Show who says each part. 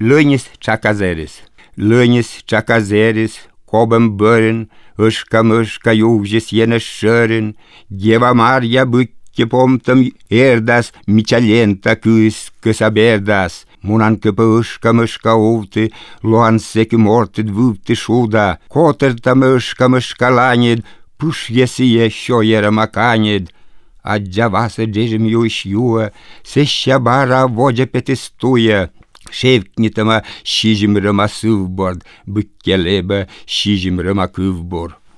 Speaker 1: Lănis čakazeris, kobam bărin, ășca iuvjes jene šărin, Deva Maria băche pomtam erdas, micalenta câs aberdas, Munan câpă ășca ovte, loan secu morted vâvte šuda, Kotertam ășca laned, pâș jesie šojera makaned, Adjavasa džežim jau iš jų, sešabara vodžia petistuja, ševknitama šyžim rama suvbord, bukkeleba šyžim rama kuvbor.